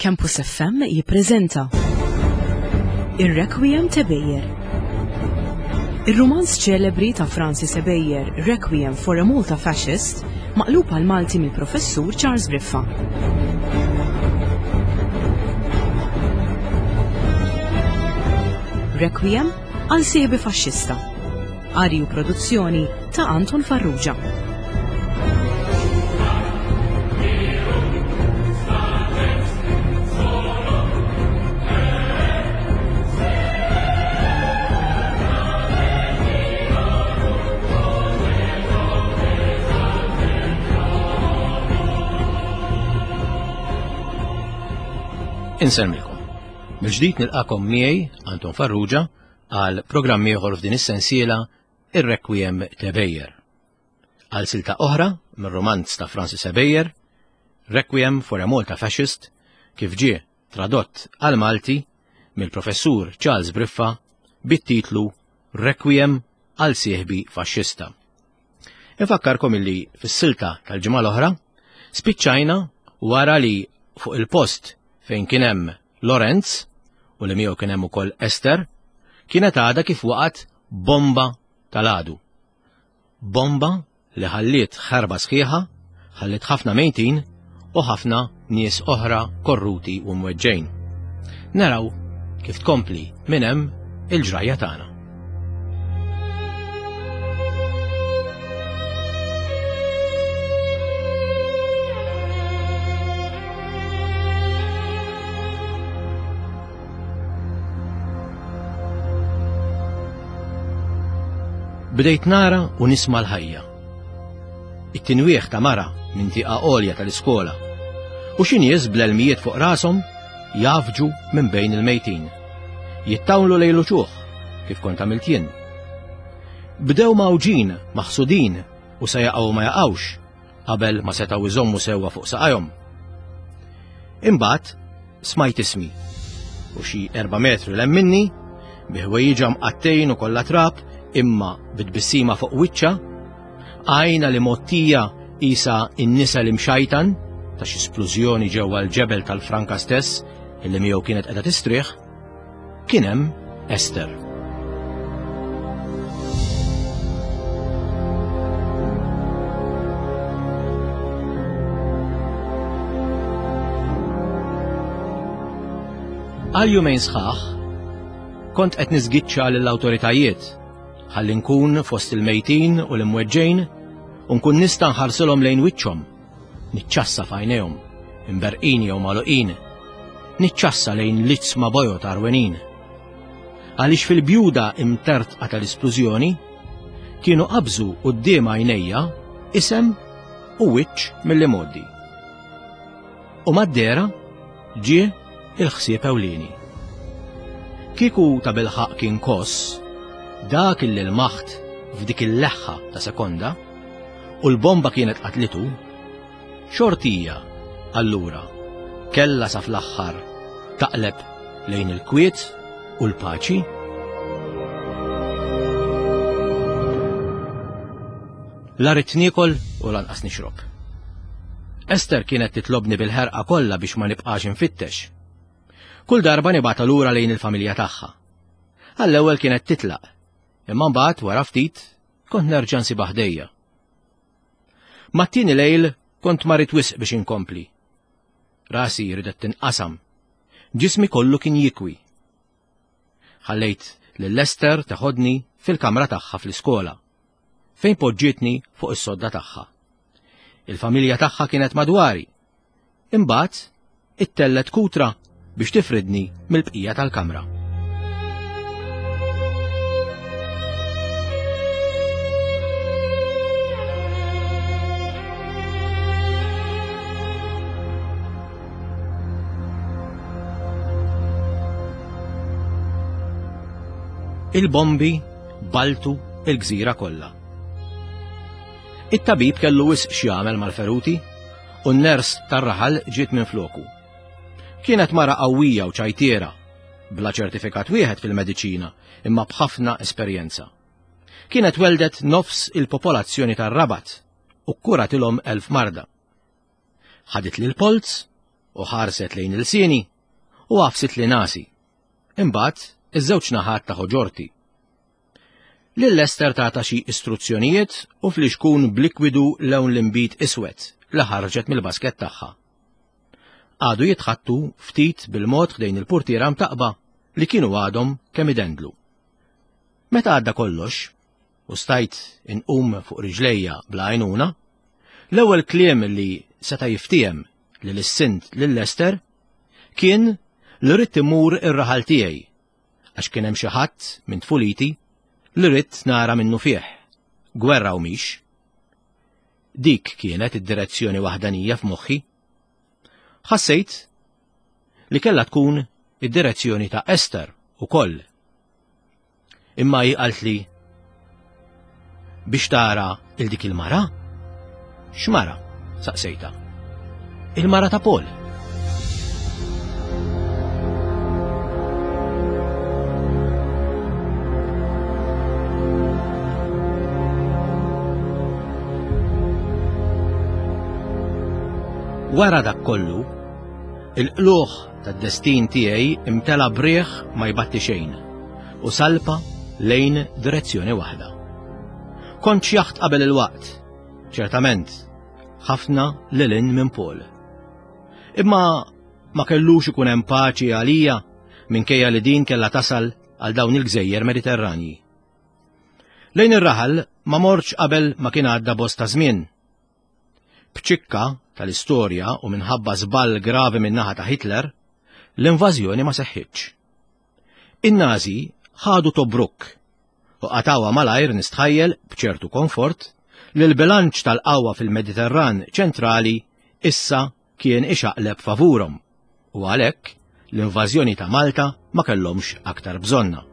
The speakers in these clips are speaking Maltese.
Campus FM jippreżenta Ir-Requiem ta' Bejer. Ir-rumanz ċelebri ta' Francis Ebejer, Requiem for a Malta Fascist, maqlub għal Malti mill-Professur Charles Briffa. Requiem għal sieħbi faxxista. Qari u produzzjoni ta' Anton Farrugia. Insellmilkom. Mill-ġdid nilqakom miegħi Anton Farrugia għal programm ieħor f'din is-sensiela Ir-Requiem te Beyer. Għal silta oħra mir-romanz ta' Francis Ebejer, Requiem for a Malta Fascist, kif ġie tradott għal Malti mill-professur Charles Briffa bit-titlu Requiem għal sieħbi faxxista. Infakkarkom illi fis-silta tal-ġimgħa l-oħra spiċċajna wara li fuq il-post fejn kien hemm Lorenz u li miegħu kien hemm ukoll Esther kienet għadha kif waqgħet bomba tal-għadu. Bomba li ħalliet ħerba sħiħa, ħalliet ħafna mejtin u ħafna nies oħra korruti u mweġġejn. Naraw kif tkompli minn hemm il-ġrajja tagħna. Bdejt nara u nisma' l-ħajja. It-tinwieħ ta' mara minn tieqa għolja tal-iskola u xi nies bl-elmijiet fuq rashom jafġu minn bejn il-mejtin. Jittawlu lejn l-uċuħ kif kont għamilt jien. Bdew mawġin, maħsudin u se jaqgħu ma jaqgħux qabel ma setgħu jżommu sewwa fuq saqajhom. Imbagħad smajt ismi u xi erba' metri l minni bi ħwejjiġha mqattejn u kollha trab imma bitbissima fuq wiċċha għajna li mottija isa in-nisa li mxajtan ta' xi splużjoni ġewwa l-ġebel tal-franka stess illi miegħu kienet qiegħda tistrieħ, kien hemm Ester. Għal jumejn sħaħ, kont qed niżgiċċa lill-awtoritajiet ħalli nkun fost il-mejtin u l-imweġġejn u nkun nista' nħarsilhom lejn wiċċhom Niċċassa f'għajnejhom, imberqin jew magħluqin. Niċċassa lejn l-iġsma bojod għarwenin. Għaliex fil-bjuda imtertqa tal-isplużjoni kienu qabżu quddiem għajnejja isem u wiċċ mill-imgħoddi. U mad-dehra ġie il-ħsieb ewlieni. Kieku ta' bilħaq kien koss, dak illi l-maħt f'dik il-leħħa ta' sekonda, u l-bomba kienet qatlitu, xortija allura kellha sa fl-aħħar taqleb lejn il-kwiet u l-paċi? La ridt niekol u lanqas nixrob. Ester kienet titlobni bil-ħerqa kollha biex ma nibqax infittex. Kull darba nibgħatha lura lejn il-familja tagħha. Għall-ewwel kienet titlaq, imma mbagħad wara ftit kont nerġa' nsibha ħdejja. Mat-tieni lejl kont marid wisq biex inkompli. Rasi ridet tinqasam. Ġismi kollu kien jikwi. Ħallejt lil Lester teħodni fil-kamra tagħha fl-iskola, fejn poġġietni fuq is-sodda tagħha. Il-familja tagħha kienet madwari. Imbagħad ittellgħet kutra biex tifridni mill-bqija tal-kamra. Il-bombi baltu il-gżira kollha. It-tabib kellu wisq x'jagħmel mal-feruti u n-ners tar-raħal ġiet minn floku. Kienet mara qawwija u ċajtiera, bla ċertifikat wieħed fil-mediċina imma b'ħafna esperjenza. Kienet weldet nofs il-popolazzjoni tar-Rabat u kkuratilhom elf marda. Ħaditli l-polz. u ħarset lejn ilsieni u għafsit li nasi. Imbagħad iż-żewġ naħat ta' ħoġorti. Lil Ester tata xi istruzzjonijiet u flixkun b'likwidu lewn l-inbid iswed li ħarġet mill-basket tagħha. Qagħdu jitħaddtu ftit bil-mod ħdejn il-purtiera mtaqqba li kienu għadhom kemm idendlu. Meta għadda kollox, u stajt inqum fuq riġlejja bla għajnuna, l-ewwel kliem li seta' jiftiehem li lissint lil Lester kien li ridt immur ir-raħal tiegħi għax kien hemm xi ħadd minn tfuliti li ridt nara minnu fih, gwerra u mhix. Dik kienet id-direzzjoni waħdanija f'moħħi. Ħassejt li kellha tkun id-direzzjoni ta' Ester ukoll. Imma hi qaltli biex tara il dik il-mara? X'mara? saqsejta. Il-mara ta' Paul. Wara dak kollu, il-qluħ tad-destin tiegħi imtela briħ ma jbatti xejn u salpa lejn direzzjoni waħda. Kont xjaħt qabel il-waqt, ċertament, ħafna lil hinn minn Paul. Imma ma kellux ikun hemm paċi għalija minkejja li din kellha tasal għal dawn il-gżejjer Mediterranji. Lejn ir-raħal ma mortx qabel ma kien għadda bosta żmien. B'ċikka tal-istorja u minħabba żball gravi min-naħa ta' Hitler, l-invażjoni ma seħħitx. In-Nazi ħadu Tobruk u qatgħuha malajr nistħajjel b'ċertu konfort li l-bilanċ tal-qawwa fil-Mediterran ċentrali issa kien ixaqleb favurhom u għalhekk l-invażjoni ta' Malta ma kellhomx aktar bżonnha.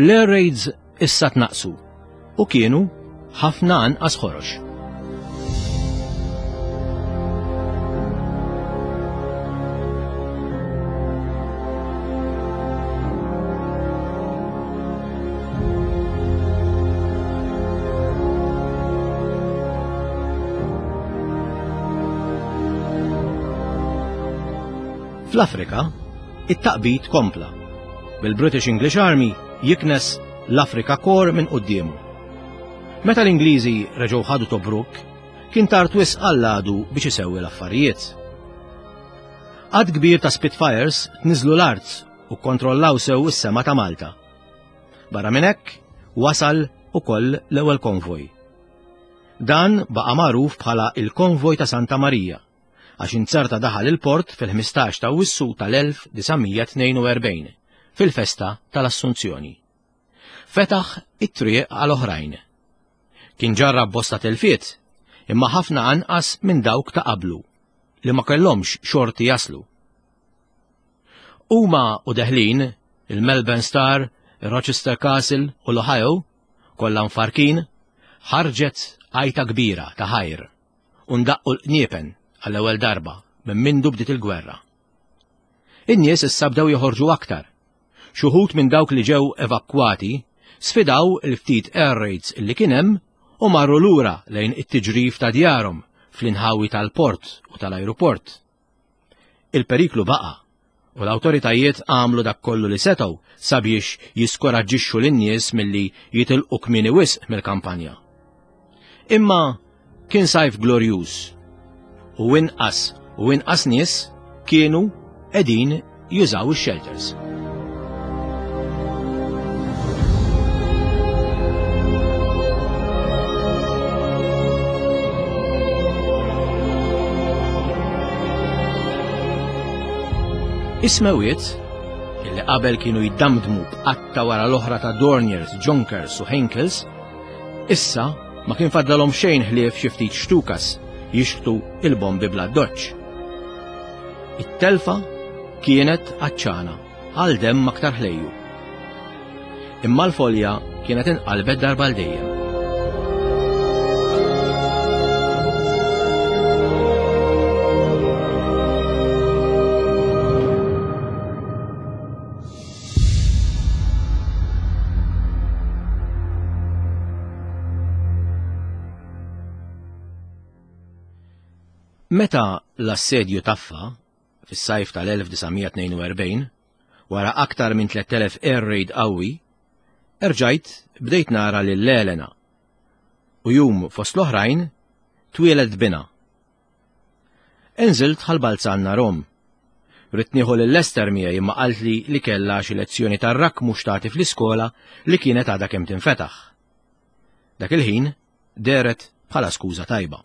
L-air raids issa tnaqqsu u kienu ħafna anqas ħorox. Fl-Afrika, it-taqbid kompla, bil-British English Army jiknes l-Afrika Corps minn quddiemu. Meta l-Ingliżi reġgħu ħadu Tobruk, kien tard wisq għall-għadu biex isewwi l-affarijiet. Għadd kbir ta' Spitfires tniżlu l-art u kkontrollaw sew is-sema ta' Malta. Barra minn hekk, wasal ukoll l-ewwel konvoj. Dan baqa' magħruf bħala il-Konvoj ta' Santa Marija, għax inzerta daħal il-port fil-15 ta' Awwissu tal-1942, fil-festa tal-Assunzjoni. Fetaħ it-triq għal oħrajn. Kien ġarrab bosta telfiet, imma ħafna anqas minn dawk ta' qablu, li ma kellhomx xorti jaslu. Huma u deħlin, il-Melbourne Star, il-Rochester Castle u l-Ohio, kollha mfarkin, ħarġet għajta kbira ta' ħajr u ndaqqu l-qniepen għall-ewwel darba minn mindu bdiet il-gwerra. In-nies issa bdew joħorġu aktar. Xi wħud minn dawk li ġew evakwati sfidaw il-ftit air raids illi kien hemm u marru lura lejn it-tiġrif ta' djarhom fl-inħawi tal-port u tal-ajruport. Il-periklu baqa' u l-awtoritajiet għamlu dak kollu li setgħu sabiex jiskoraġġixxu lin-nies milli jitilqu kmieni wisq mill-kampanja. Imma kien sajf glorjuż u inqas u inqas nies kienu qegħdin jużaw ix-shelters. Is-smewiet, illi qabel kienu jiddamdmu b'qatta wara l-oħra ta' Dorniers, Junkers u Heinkels, issa ma kien fadlalhom xejn ħlief xi ftit xtukas jixħtu il-bombi bla doċċ. It-telfa kienet għatxana għal demm aktar ħlejju. Imma l-folja kienet inqalbet darba għal dejjem. Meta l-assedju taffa, fis-sajf tal-1942, wara aktar minn 3000 air raid qawwi, erġajt bdejt nara lil Elena. U jum fost l-oħrajn twieled binha. Inżilt Ħal Balzan narhom. Ridt nieħu lil Esther miegħi imma qaltli li kellha xi lezzjoni tar-rakmu x'tagħti fl-iskola li kienet għadha kemm tinfetaħ. Dak il-ħin dehret bħala skuża tajba.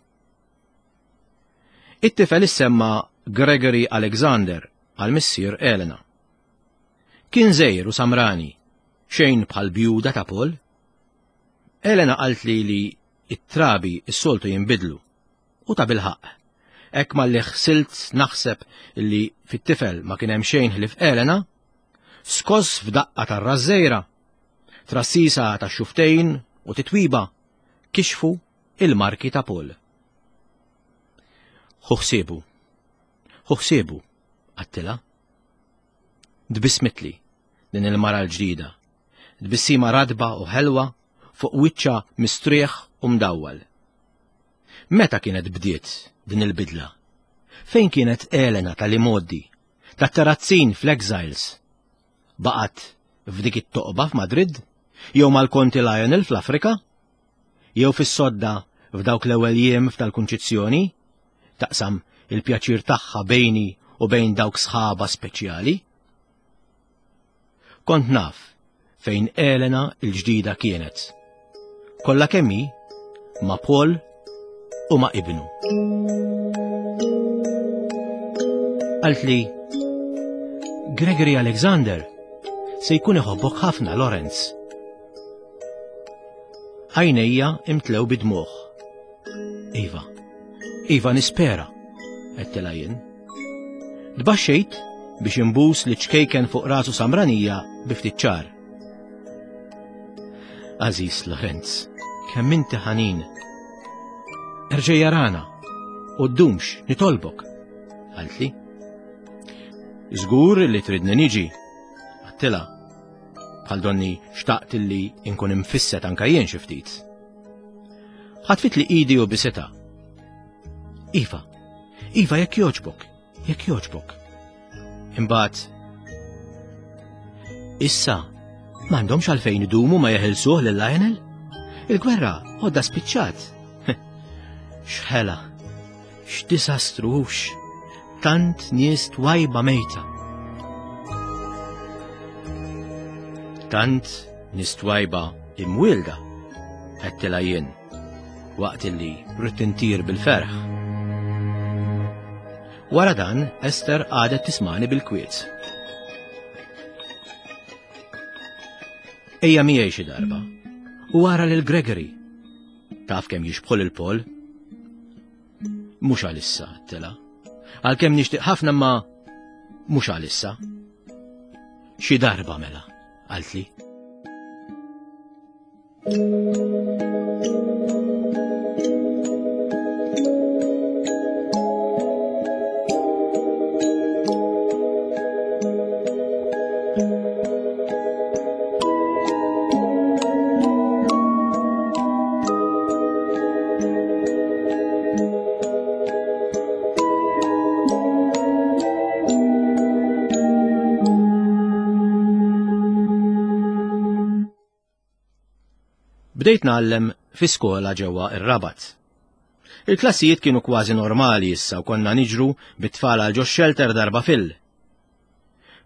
It-tifel issemma Gregory Alexander għal missier Elena. Kien żgħir u samrani, xejn bħal bjuda ta' Paul. Elena qaltli li it-trabi s-soltu jinbidlu U tabilħaqq, hekk malli ħsilt naħseb li fit-tifel ma kien hemm xejn ħlief Elena, skoss f'daqqa tar-rażżejra, trassisa tax-xuftejn u titwiba kixfu il-marki ta' Paul. Ħu ħsiebu, ħu ħsiebu, għattilha. Tbissmitli din il-mara l-ġdida, tbissima ratba u ħelwa fuq wiċċha mistrieħ u mdawwal. Meta kienet bdiet din il-bidla? Fejn kienet Elena tal-imgħoddi, tat-terazzin fl-Exiles? Baqgħet f'dik it-toqba f'Madrid? Jew mal-Konti Lionel fl-Afrika? Jew fis-sodda f'dawk l-ewwel jiem f'tal-Kunċizzjoni? Taqsam il-pjaċir tagħha bejni u bejn dawk sħaba speċjali? Kont naf fejn Elena l-ġdida kienet. Kollha kemm hi ma' Paul u ma' ibnu. Qaltli, Gregory Alexander se jkun iħobbok ħafna, Lorenz. Għajnejja imtlew bid-dmugħ. Iva, iva nispera, għedtilha jien. Tbaxxejt biex imbus li ċkejken fuq rasu samranija bi ftit ċar. Aziz Lorenz, kemm inti ħanin. Erġa' jarana u ddumx nitolbok, qaltli. Żgur li tridni niġi, għattilha. Bħal donni xtaqt li nkun imfisset anka jien xi ftit. Ħatfit li idi u bisita. Iva, Iva, jekk jogħġbok, jekk jogħġbok. Imbagħad issa m'għandhomx għalfejn idumu ma jeħilsuh lil Lionel? Il-gwerra għodda spiċċat. X'ħela, x'disastru hux, tant nies twajba mejta. Tant nies twajba imwielda, għedtilha jien. waqt illi ridt intir bil-ferħ. Wara dan, Ester għadet tismani bil-kwiet. Ejja miegħi xi darba. U wara lil Gregory. Taf kemm jixbħu lil Paul? Mhux għalissa, tela. Għalkemm nixtieq ħafna ma mhux għalissa. Xi darba mela, qaltli. Bdejt ngħallem fi skola ġewwa ir-Rabat. Il-klassijiet kienu kważi normali issa u konna niġru bit-tfal għal ġo xelter darba fil.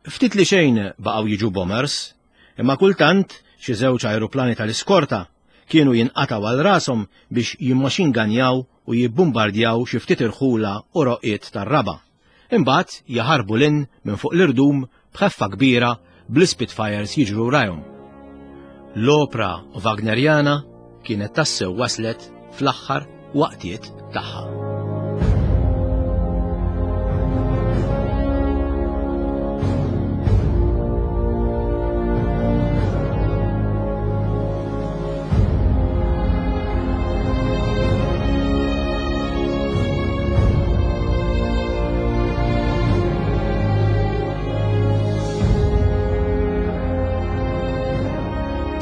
Ftit li xejn baqgħu jiġu bombers, imma kultant xi żewġ ajruplani tal-iskorta kienu jinqatgħu għal rashom biex jimmaxinganjaw u jibbumbardjaw xi ftit irħula u roqiet tar-raba'. Imbagħad jaħarbu 'l hinn minn fuq l-irdum b'ħeffa kbira bl-Spitfires jiġru wrajhom. L-opra Wagnerjana kienet tassew waslet fl-aħħar waqtiet tagħha.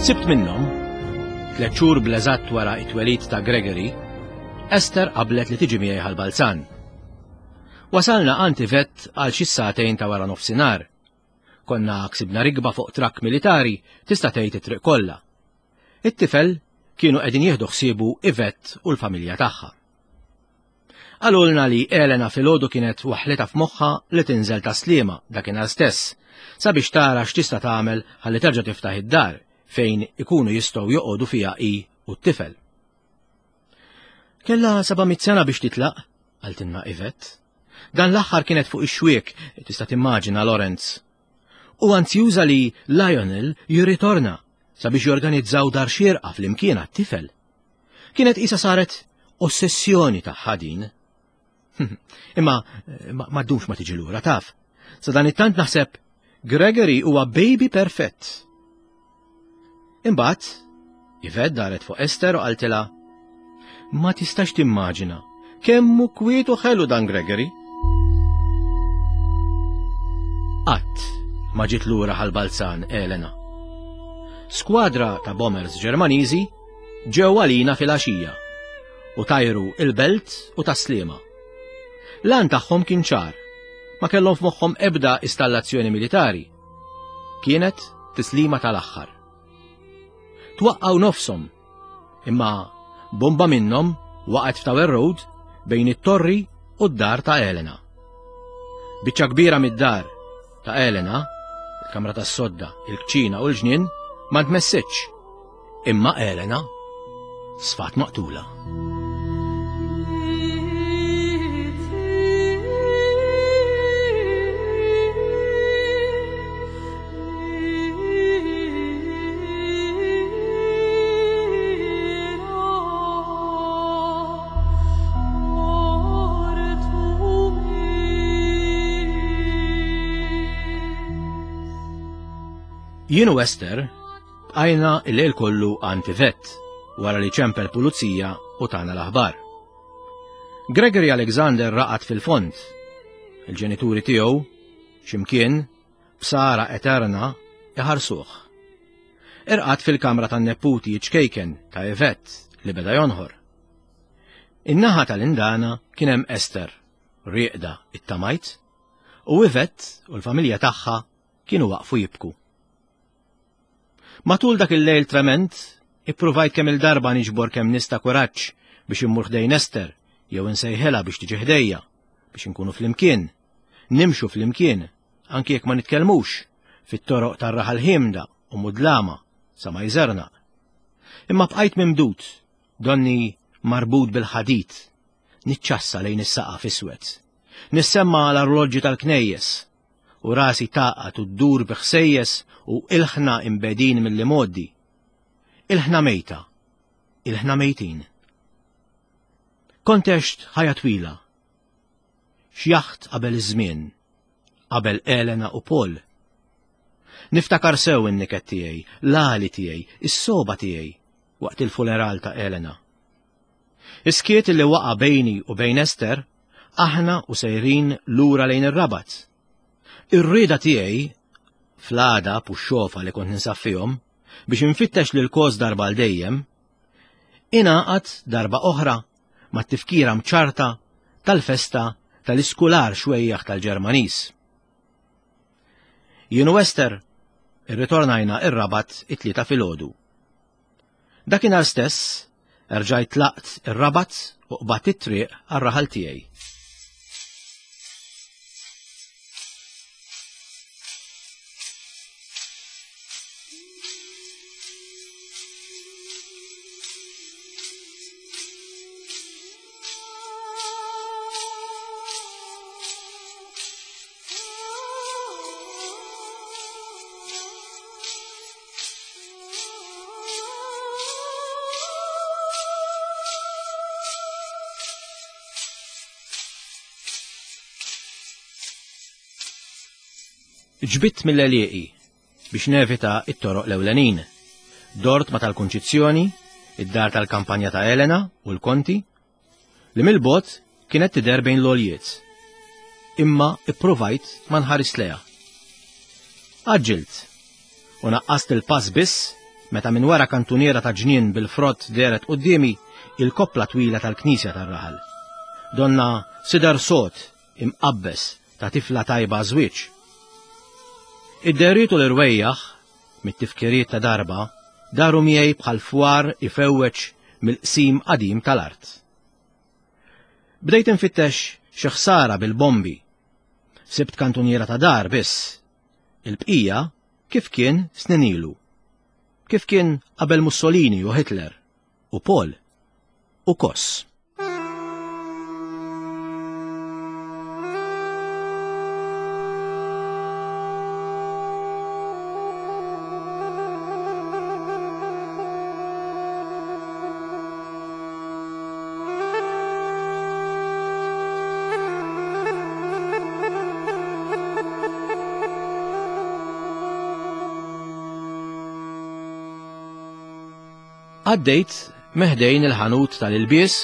Sibt minnhom, tliet xhur bl-eżatt wara it-twelid ta' Gregory, Esther qablet li tiġi miegħi ħal-Balzan. Wasalna għand Yvette għal xi sagħtejn ta' wara nofsinhar. Konna ksibna rikba fuq trakk militari tista' tgħid it-triq kollha. It-tifel kienu qegħdin jieħdu ħsiebu Yvette u l-familja tagħha. Qalulna li Elena filgħodu kienet waħlitha f'moħħha li tinżel ta' Sliema dakinhar stess sabiex tara x'tista' tagħmel ħalli terġa' tiftaħ id-dar fejn ikunu jistgħu joqogħdu fiha hi u t-tifel. Kellha 700 sena biex titlaq, qaltilna Yvette. Dan l-aħħar kienet fuq ix-xwiek, tista' timmaġina Lorenz. U anzjuża li Lionel jirritorna sabiex jorganizzaw dar xierqa flimkien għat-tifel. Kienet qisha saret ossessjoni tagħha din. Imma ma ddumx ma tiġi lura taf. Sa dan it-tant naħseb Gregory huwa baby perfett. Imbagħad, Yvette daret fuq Esther u qaltilha, Ma tistax timmaġina kemm hu kwiet u ħelu dan Gregory. Qatt ma ġiet lura ħal-Balzan Elena. Skwadra ta' bombers Ġermaniżi ġew għalina filgħaxija u tajru il-Belt u Tas-Sliema. L-għan tagħhom kien ċar, ma kellhom f'moħħhom ebda istallazzjoni militari. Kienet tislima tal-aħħar. Twaqqgħu nofshom, imma bomba minnhom waqgħet f'Tower Road bejn it-torri u d-dar ta' Elena. Biċċa kbira mid-dar ta' Elena, il-kamra tas-sodda, il-kċina u l-ġnien, ma ntmessitx. Imma Elena sfat maqtula. Jien u Esther bqajna il-lejl kollu għand Yvette wara li ċempel pulizija u tana l-aħbar. Gregory Alexander raqad fil-fond. Il-ġenituri tiegħu x'imkien b'sara eterna iħarsuh. Irqad fil-kamra tan-neputi ċkejken ta' Yvette li beda jonħor. In-naħa tal-indana kien hemm Esther, rieqda it-tamajt, u Yvette u l-familja tagħha kienu waqfu jibku. Matul dak il-lejl trement, ippruvajt kemm il-darba niġbor kemm nista' kuraġġ biex immur ħdejn Esther jew insejħilha biex tiġi ħdejja, biex inkunu flimkien, nimxu flimkien, anki jekk ma nitkellmux, fit-toroq tar-raħal ħiemda u mudlama sa ma jżernaq. Imma bqajt mimdud, donni marbut bil-ħadid, niċċassa lejn is-saqaf iswed. Nissemma l-arloġġi tal-knejjes, u rasi tagħqad u ddur bi ħsejjes u ilħna imbegħdin mill-imgħoddi. Ilħna mejta, ilħna mejtin. Kont għext ħajja twila. Xjaħt qabel iż-żmien, qabel Elena u Paul. Niftakar sew in-niket tiegħi, l-għali tiegħi, is-sogħba tiegħi waqt il-funeral ta' Elena. Is-skiet li waqa' bejni u bejn Esther aħna u sejrin lura lejn ir-Rabat. Ir-rieda tiegħi fl-għadab u x-xofa li kont ninsab fihom biex infittex lil kos darba għal dejjem, ingħaqad darba oħra mat-tifkira mċarta tal-festa tal-iskular xwejjaħ tal-Ġermaniż. Jien u Esther irritornajna ir-Rabat it-Tlieta filgħodu. Dakinhar stess erġajt tlaqt ir-Rabat u qbadt it-triq għar-raħal tiegħi. Ġbidt mill-għelieqi biex nevita it-toroq l-ewlenin. Dort ma tal-Kunċizzjoni, id-dar tal-kampanja ta' Elena u l-Konti, li mill-bogħod kienet tidher bejn l-għoljiet. Imma ippruvajt ma nħaris lejha. Għaġġilt u naqqast il-pass biss meta minn wara kantuniera ta' ġnien bil-frott dehret quddiemi il-koppla twila tal-knisja tar-raħal. Donna sidar sod. imqabbeż ta' tifla tajba żwieġ. Id-dehriet u l-irwejjaħ mit-tifkiriet ta' darba daru miegħi bħal fwar ifewweġ mill-qsim qadim tal-art. Bdejt infittex xi ħsara bil-bombi. Sibt kantuniera ta' dar biss. Il-bqija kif kien snin ilu. Kif kien qabel Mussolini u Hitler u Paul u Koss. Għaddejt meħdejn il-ħanut tal-ilbies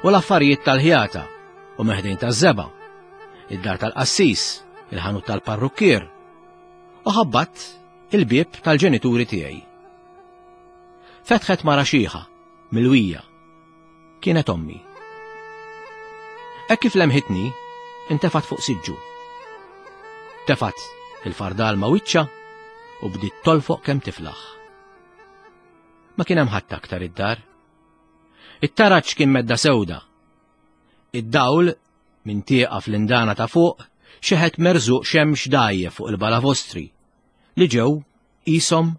u l-affarijiet tal-ħjata u meħdejn taż-żeba, id-dar tal-qassis, il-ħanut tal-parrukkier u ħabbat il-bieb tal-ġenituri tiegħi. Fetħet mara xiħa, milwija. Kienet ommi. Hekk kif lemħitni, intefat fuq siġġu. Tefat il-fardal ma' wiċċa u bdiet tolfoq kemm tiflaħ. Ma kien hemm ħadd aktar id-dar. It-taraġ kien medda sewda. Id-dawl minn tieqa fl-indana ta' fuq xeħet merżuq xemx dajje fuq il-balavostri li ġew qishom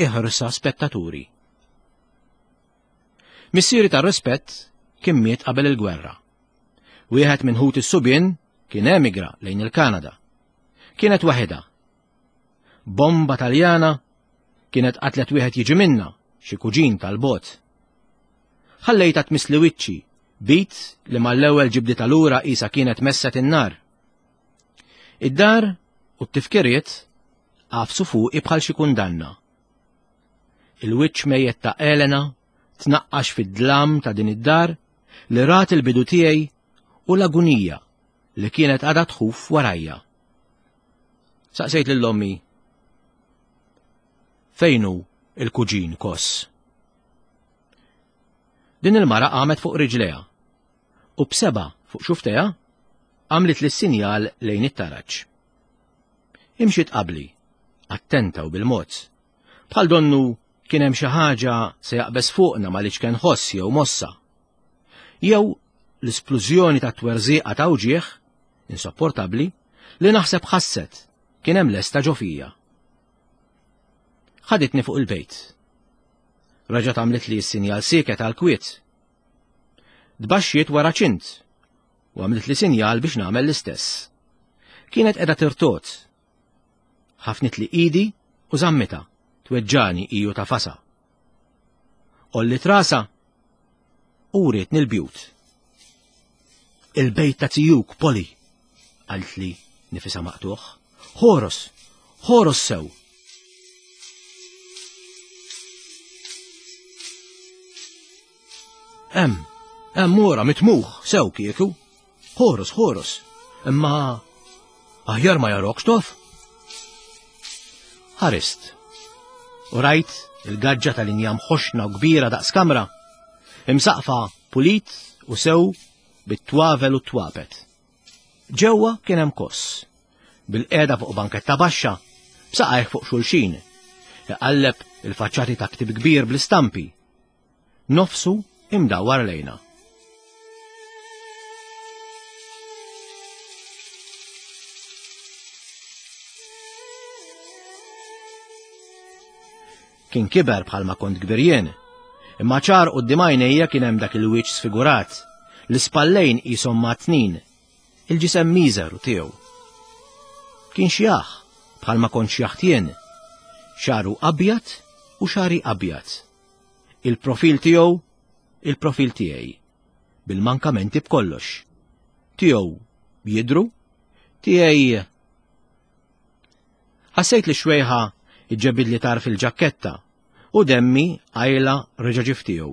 iħrsa spettaturi. Missieri tar-rispett kien miet qabel il-gwerra. Wieħed minn ħut is-subien kien emigra lejn il-Kanada. Kienet waħedha. Bomba Taljana kienet qatlet wieħed jiġi minna, xi kuġin tal-bot. Ħallejta tmissli wiċċi, bit li mal-ewwel ġibdita lura qisha kienet messet in-nar. Id-dar u t-tifkiriet għafsu fuqi bħal xi kundanna. Il-wiċċ mejjet ta' Elena tnaqqax fid-dlam ta' din id-dar li rat il-bidu tiegħi u l-agunija li kienet għadha tħuf warajja. Saqsejt lil ommi fejn hu il-kuġin Koss. Din il-mara qamet fuq riġlejha u b'seba' fuq xuftejha għamlit li sinjal lejn it-taraġ. Imxiet qabli, attenta u bil-mod. Bħal donnu kien hemm xi ħaġa se jaqbeż fuqna ma liċken ħoss jew mossa. Jew l-isplużjoni ta' twerżieqa ta' uġieħ, insopportabbli, li naħseb ħasset kien hemm lesta ġo fija. Ħaditni fuq il-bejt. Reġgħet għamlet li s-sinjal sieket għal kwiet. Tbaxxiet wara ċint u għamlet li sinjal biex nagħmel l-istess. Kienet qiegħda tirtot. Ħafnit li idi u żammita, tweġġani iju ta' fasa. Olli trasa u wrietni l-bjut. Il-bejt ta' tijuk, Poli, qaltli nifisa maqtuħ. Ħoros, ħoros sew. Hemm, hemm ora mitmuħ sew kieku. Ħoros, ħoros. Imma aħjar ma jarokx tof. Ħarist. U rajt il-gaġġa tal-injam ħoxna u kbira daqs kamra, imsaqfa pulit u sew bit-twavel u t-twapet. Ġewwa kien hemm koss, bil-qiegħda fuq banketta baxxa, b'saqajh fuq xulxin, iqalleb il-faċċati ta' ktib kbir bl-istampi. Nofsu imdawwar lejna. Kien kiber bħalma kont kbir jien. Imma ċar quddiem għajnejja kien hemm dak il-wiċċ sfigurat, l-ispallejn qishom matnin, il-ġisem miżeru tiegħu. Kien xjaħ bħalma kont xjaħt jien, xagħru abjad u xagħri abjad. Il-profil tiegħu, il-profil tiegħi, bil-mankamenti b'kollox. Tiegħu jidru, tiegħi Ħassejt li xwejħa iġġebidli tarf il-ġakketta u demmi għajla reġa' ġie f'tiegħu.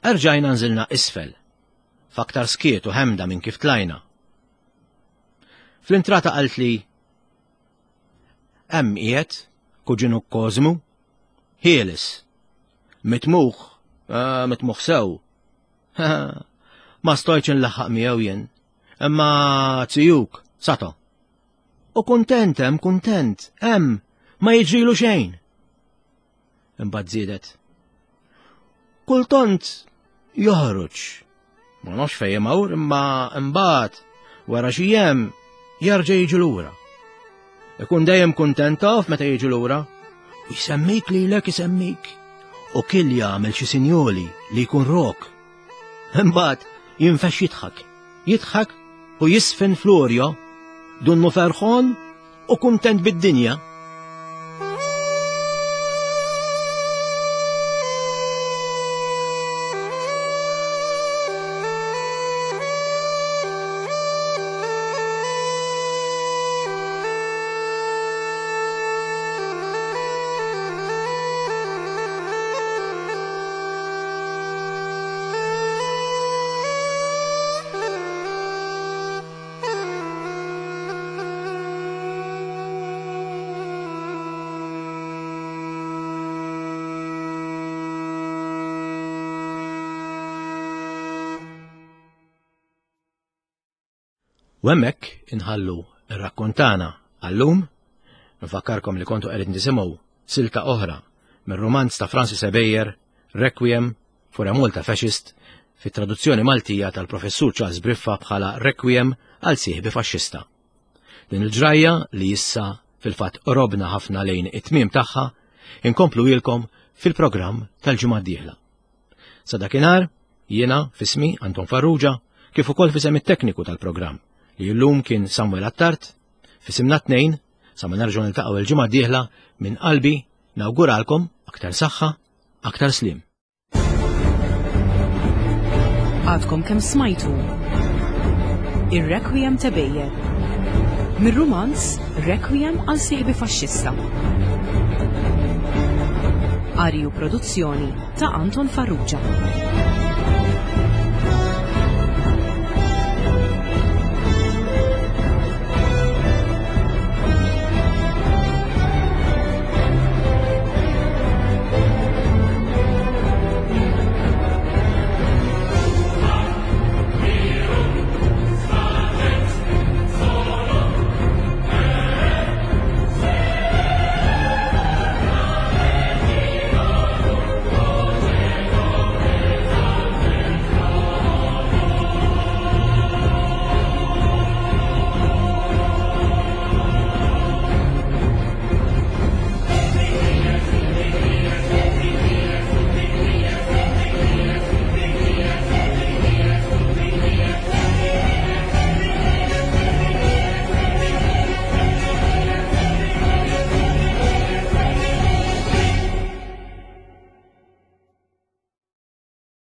Erġajna nżilna isfel, f'aktar skiet u ħemda minn kif tlajna. Fl-intrata qaltli Hemm qiegħed kuġinu Kozmu, ħieles. Mitmuħ, ah, mitmuħ sew. Ma stojċ nlaħħaq miegħu jien. Imma zijuk, sato. U kuntent hemm, kuntent, hemm, ma jiġrilu xejn. Imbagħad żiedet. Kultant joħroġ. Ma nafx fejn imur imma imbagħad wara xi jiem jerġa' jiġi lura. Ikun dejjem kuntent taf meta jiġi lura. U jsemmik lilek isemmik. U kill jagħmel xi sinjoli li jkun rok. Imbagħad jinfex jidħak. Jidħak u jisfen florjo, dunnu ferħon u kuntent bid-dinja. U hemmhekk inħallu r-rakkontana għallum, nfakkarkom li kontu qegħdin tisimgħu silta oħra mir-rumanz ta' Francis Ebejer, Requiem for a Malta Fascist, fit-traduzzjoni Maltija tal-Professur Charles Briffa bħala Requiem għal sieħbi faxxista. Din il-ġrajja li issa fil-fatt qrobna ħafna lejn it-tmiem tagħha, inkomplu ilkom fil-programm tal-ġimgħa d-dieħla. Sa dakinhar, jiena fismi Anton Farrugia, kif ukoll fisem it-tekniku tal-programm li llum kien Samuel Attard, fisimna tnejn, sa ma nerġgħu niltaqgħu il-ġimgħa d-dieħla minn qalbi nawguralkom aktar saħħa, aktar slim. Għadkom kemm smajtu Ir-Requiem ta' Bejer. Mir-rumanz Requiem għal sieħbi faxxista. Qari u produzzjoni ta' Anton Farrugia.